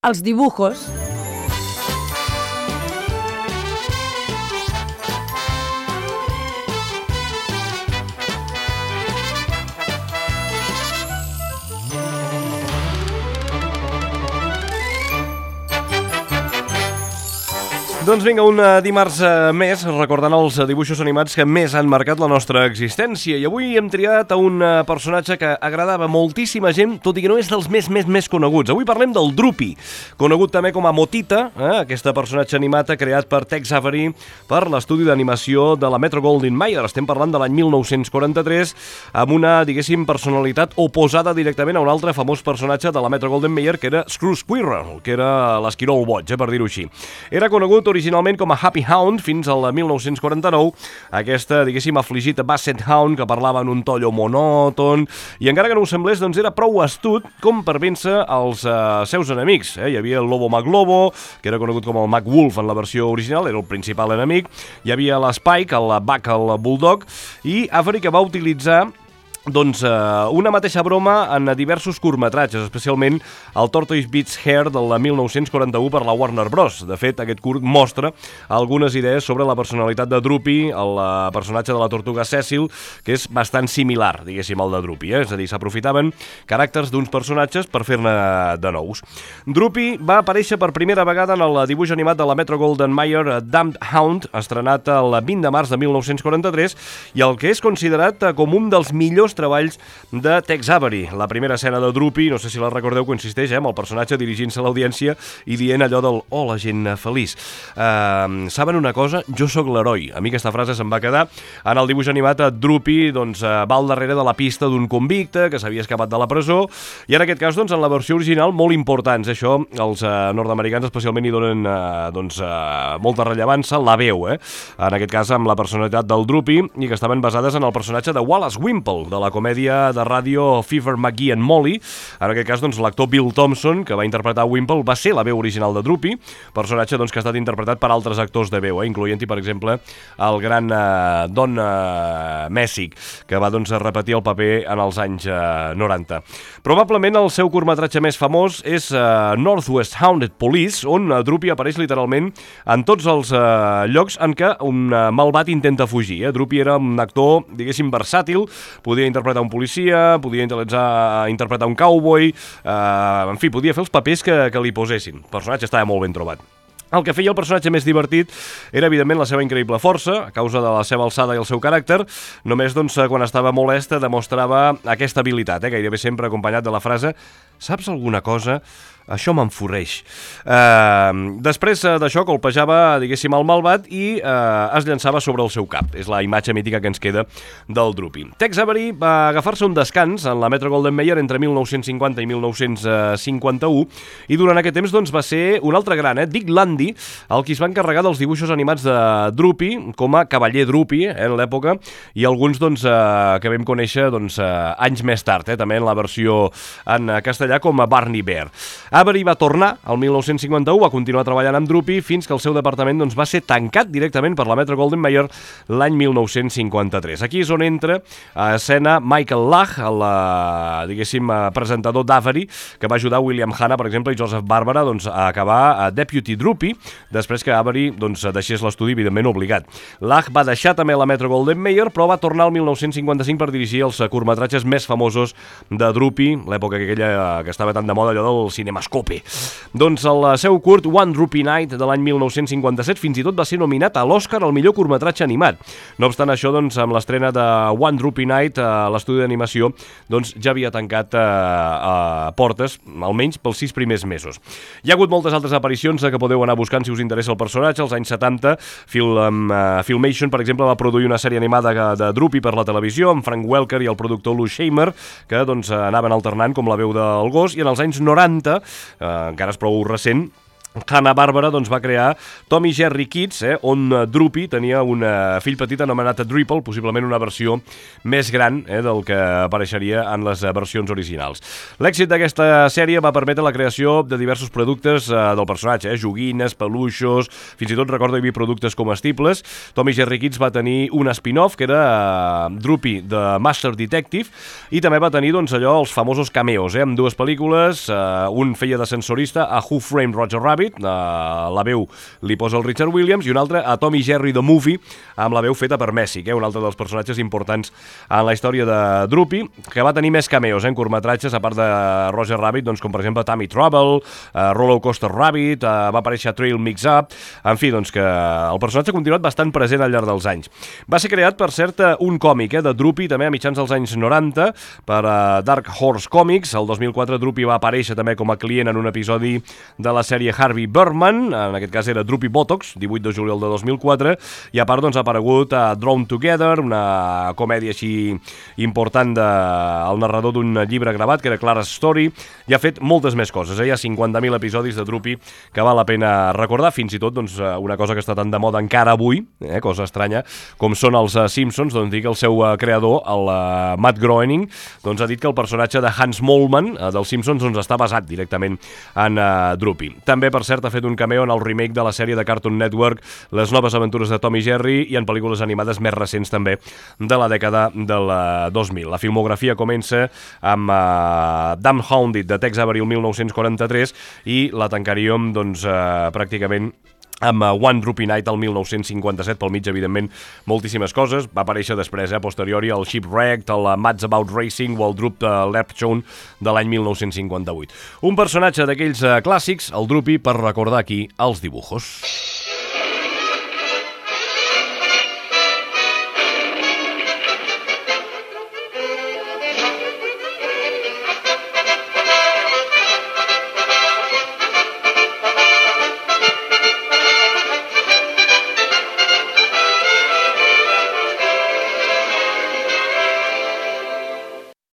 Els dibujos. Doncs vinga, un dimarts més, recordant els dibuixos animats que més han marcat la nostra existència. I avui hem triat a un personatge que agradava moltíssima gent, tot i que no és dels més coneguts. Avui parlem del Droopy, conegut també com a Motita, aquest personatge animat creat per Tex Avery per l'estudi d'animació de la Metro-Goldwyn-Mayer. Estem parlant de l'any 1943, amb una, diguéssim, personalitat oposada directament a un altre famós personatge de la Metro-Goldwyn-Mayer, que era Scrooge Squirrel, que era l'esquirol boig, per dir-ho així. Era conegut originalment com a Happy Hound fins al 1949, aquesta, diguéssim, afligit Basset Hound que parlava en un to allò monòton, i encara que no ho semblés, doncs era prou astut com per vèncer els seus enemics. Hi havia el Lobo McLobo, que era conegut com el McWolf en la versió original, era el principal enemic, hi havia l'Spike, el Buck, el Bulldog, i Avery que va utilitzar una mateixa broma en diversos curtmetratges, especialment el Tortoise Beats Hair del 1941 per la Warner Bros. De fet, aquest curt mostra algunes idees sobre la personalitat de Droopy, el personatge de la tortuga Cecil, que és bastant similar, diguéssim, al de Droopy. És a dir, s'aprofitaven caràcters d'uns personatges per fer-ne de nous. Droopy va aparèixer per primera vegada en el dibuix animat de la Metro-Goldwyn-Mayer Damned Hound, estrenat el 20 de març de 1943, i el que és considerat com un dels millors treballs de Tex Avery. La primera escena de Droopy, no sé si la recordeu, consisteix amb el personatge dirigint-se a l'audiència i dient allò del "Hola, gent feliç. Saben una cosa? Jo sóc l'heroi." A mi aquesta frase se'm va quedar. En el dibuix animat, Droopy va al darrere de la pista d'un convicte que s'havia escapat de la presó, i en aquest cas, en la versió original, molt importants. Això, els nord-americans especialment hi donen molta rellevància, la veu, en aquest cas amb la personalitat del Droopy, i que estaven basades en el personatge de Wallace Wimple, de la comèdia de ràdio Fever McGee and Molly. En aquest cas, l'actor Bill Thompson, que va interpretar Wimple, va ser la veu original de Droopy, personatge que ha estat interpretat per altres actors de veu, incloent-hi, per exemple, el gran Don Messick, que va repetir el paper en els anys 90. Probablement el seu curtmetratge més famós és Northwest Haunted Police, on Droopy apareix literalment en tots els llocs en què un malvat intenta fugir. Droopy era un actor, diguéssim, versàtil, podia interpretar un policia, podia interpretar un cowboy, en fi, podia fer els papers que li posessin. El personatge estava molt ben trobat. El que feia el personatge més divertit era, evidentment, la seva increïble força, a causa de la seva alçada i el seu caràcter. Només, quan estava molest, demostrava aquesta habilitat, gairebé sempre acompanyat de la frase "Saps alguna cosa? Això m'enforreix". Després d'això colpejava, diguéssim, el malvat i es llançava sobre el seu cap. És la imatge mítica que ens queda del Droopy. Tex Avery va agafar-se un descans en la Metro-Goldwyn-Mayer entre 1950 i 1951, i durant aquest temps va ser un altre gran, Dick Landy, el qui es va encarregar dels dibuixos animats de Droopy com a cavaller Droopy en l'època, i alguns que vam conèixer anys més tard, també en la versió en castellà com a Barney Bear. Avery va tornar al 1951, va continuar treballant amb Droopy fins que el seu departament va ser tancat directament per la Metro-Goldwyn-Mayer l'any 1953. Aquí és on entra a escena Michael Lach, el, diguéssim, presentador d'Avery, que va ajudar William Hanna, per exemple, i Joseph Barbara a acabar a Deputy Droopy, després que Avery deixés l'estudi, evidentment, obligat. Lach va deixar també la Metro-Goldwyn-Mayer, però va tornar al 1955 per dirigir els curtmetratges més famosos de Droopy, l'època aquella que estava tan de moda, allò del cinemascope. El seu curt One Droopy Night de l'any 1957 fins i tot va ser nominat a l'Oscar al millor curtmetratge animat. No obstant això, amb l'estrena de One Droopy Night, l'estudi d'animació ja havia tancat portes, almenys pels 6 primers mesos. Hi ha hagut moltes altres aparicions que podeu anar buscant si us interessa el personatge. Als anys 70, Filmation, per exemple, va produir una sèrie animada de Droopy per la televisió, amb Frank Welker i el productor Lou Shamer, que anaven alternant com la veu del gos, i en els anys 90, encara és prou recent, Hanna-Barbera doncs, va crear Tom i Jerry Kids, on Droopy tenia un fill petit anomenat Dripple, possiblement una versió més gran del que apareixeria en les versions originals. L'èxit d'aquesta sèrie va permetre la creació de diversos productes del personatge, joguines, peluixos, fins i tot recordo hi havia productes comestibles. Tom i Jerry Kids va tenir un spin-off que era Droopy The Master Detective i també va tenir doncs, allò els famosos cameos, amb dues pel·lícules, un feia de sensorista a Who Framed Roger Rabbit, la veu li posa el Richard Williams, i un altre a Tom i Jerry The Movie, amb la veu feta per Messick, un altre dels personatges importants en la història de Droopy, que va tenir més cameos en curtmetratges, a part de Roger Rabbit, doncs, com per exemple Tammy Trouble, Roller Coaster Rabbit, va aparèixer Trail Mix-Up, en fi, doncs que el personatge ha continuat bastant present al llarg dels anys. Va ser creat, per cert, un còmic de Droopy, també a mitjans dels anys 90, per Dark Horse Comics. El 2004 Droopy va aparèixer també com a client en un episodi de la sèrie Harvey Birdman, en aquest cas era Droopy Botox, 18 de juliol de 2004, i a part doncs, ha aparegut a Drawn Together, una comèdia així important del narrador d'un llibre gravat, que era Clara's Story, i ha fet moltes més coses. Hi ha 50.000 episodis de Droopy que val la pena recordar, fins i tot doncs, una cosa que està tan de moda encara avui, cosa estranya, com són els Simpsons, doncs dir que el seu creador, el Matt Groening, doncs, ha dit que el personatge de Hans Moleman dels Simpsons doncs, està basat directament en Droopy. També, per cert, ha fet un cameo en el remake de la sèrie de Cartoon Network Les noves aventures de Tom i Jerry i en pel·lícules animades més recents també de la dècada del 2000. La filmografia comença amb Damn Hounded de Tex Avery el 1943 i la tancaríem doncs, pràcticament amb One Droopy Night el 1957, pel mig, evidentment, moltíssimes coses. Va aparèixer després, a posteriori, el Shipwrecked, el Mats About Racing o el Droop de Lepchon de l'any 1958. Un personatge d'aquells clàssics, el Droopy, per recordar aquí els dibujos.